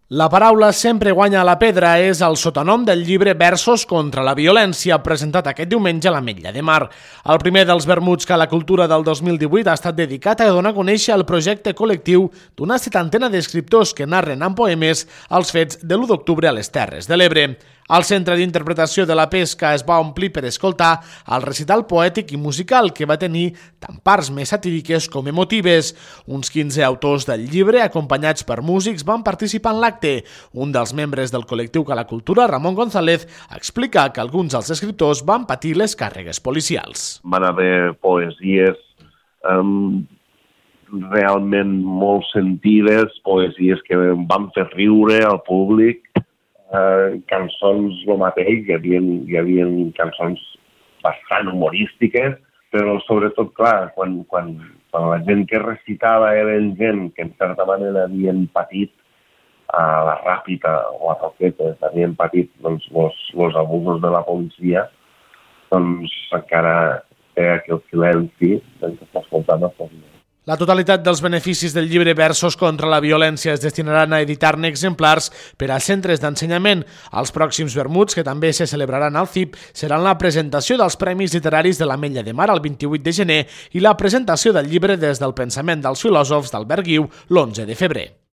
La paraula sempre guanya la pedra és el sotonom del llibre Versos contra la violència, presentat aquest diumenge a l'Ametlla de Mar. El primer dels vermuts que la cultura del 2018 ha estat dedicat a donar a conèixer el projecte col·lectiu d'una setantena d'escriptors que narren en poemes els fets de l'1 d'octubre a les Terres de l'Ebre. El centre d'interpretació de la pesca es va omplir per escoltar el recital poètic i musical que va tenir tant parts més satíriques com emotives. Uns 15 autors del llibre, acompanyats per músics, van participar en l'acte. Un dels membres del col·lectiu Cala Cultura, Ramon González, explica que alguns dels escriptors van patir les càrregues policials. Van haver poesies realment molt sentides, poesies que van fer riure al públic, cançons el mateix, hi havia cançons bastant humorístiques, però sobretot, clar, quan la gent que recitava eren gent que en certa manera havien patit a la ràpida o a toquetes, havien patit els abusos de la policia, doncs encara té aquell silenci que s'escoltava per mi. La totalitat dels beneficis del llibre Versos contra la violència es destinaran a editar-ne exemplars per a centres d'ensenyament. Els pròxims vermuts, que també se celebraran al CIP, seran la presentació dels Premis Literaris de l'Ametlla de Mar el 28 de gener i la presentació del llibre Des del pensament dels filòsofs d'Albert Guiu l'11 de febrer.